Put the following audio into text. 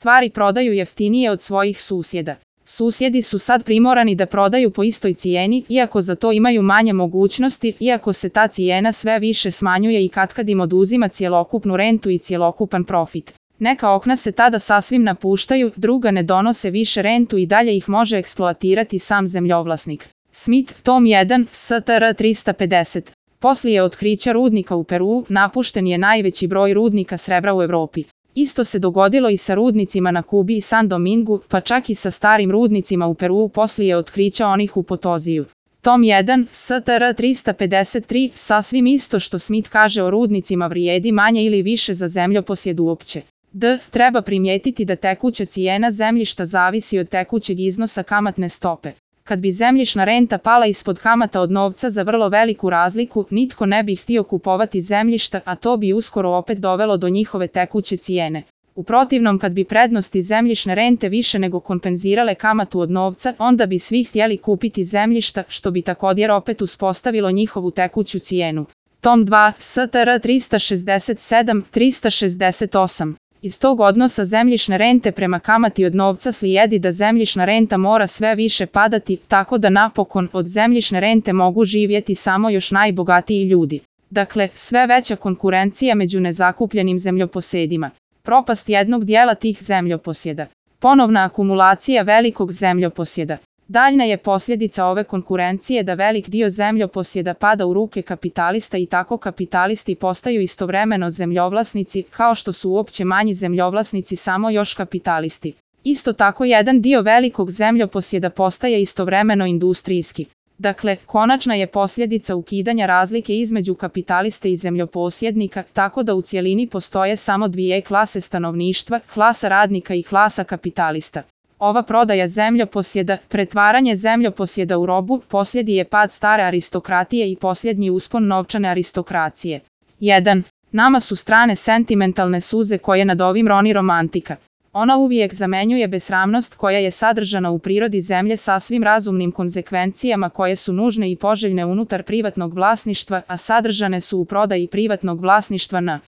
stvari prodaju jeftinije od svojih susjeda. Susjedi su sad primorani da prodaju po istoj cijeni, iako za to imaju manje mogućnosti, iako se ta cijena sve više smanjuje i katkad im oduzima cjelokupnu rentu i cjelokupan profit. Neka okna se tada sasvim napuštaju, druga ne donose više rentu i dalje ih može eksploatirati sam zemljovlasnik. Smith, tom 1, STR 350. Poslije otkrića rudnika u Peruu, napušten je najveći broj rudnika srebra u Europi. Isto se dogodilo i sa rudnicima na Kubi i San Domingu, pa čak i sa starim rudnicima u Peruu poslije otkrića onih u Potoziju. Tom 1, STR 353, sasvim isto što Smith kaže o rudnicima vrijedi manje ili više za zemljoposjed uopće. Treba primijetiti da tekuća cijena zemljišta zavisi od tekućeg iznosa kamatne stope. Kad bi zemljišna renta pala ispod kamata od novca za vrlo veliku razliku, nitko ne bi htio kupovati zemljišta, a to bi uskoro opet dovelo do njihove tekuće cijene. U protivnom, kad bi prednosti zemljišne rente više nego kompenzirale kamatu od novca, onda bi svi htjeli kupiti zemljišta, što bi također opet uspostavilo njihovu tekuću cijenu. Tom 2, STR 367, 368. Iz tog odnosa zemljišne rente prema kamati od novca slijedi da zemljišna renta mora sve više padati, tako da napokon od zemljišne rente mogu živjeti samo još najbogatiji ljudi. Dakle, sve veća konkurencija među nezakupljenim zemljoposedima. Propast jednog dijela tih zemljoposjeda. Ponovna akumulacija velikog zemljoposjeda. Daljna je posljedica ove konkurencije da velik dio zemljoposjeda pada u ruke kapitalista i tako kapitalisti postaju istovremeno zemljovlasnici, kao što su uopće manji zemljovlasnici samo još kapitalisti. Isto tako jedan dio velikog zemljoposjeda postaje istovremeno industrijski. Dakle, konačna je posljedica ukidanja razlike između kapitaliste i zemljoposjednika, tako da u cjelini postoje samo dvije klase stanovništva, klasa radnika i klasa kapitalista. Ova prodaja zemljoposjeda, pretvaranje zemljoposjeda u robu, posljednji je pad stare aristokratije i posljednji uspon novčane aristokracije. 1. Nama su strane sentimentalne suze koje nad ovim roni romantika. Ona uvijek zamenjuje besramnost koja je sadržana u prirodi zemlje sasvim razumnim konzekvencijama koje su nužne i poželjne unutar privatnog vlasništva, a sadržane su u prodaji privatnog vlasništva na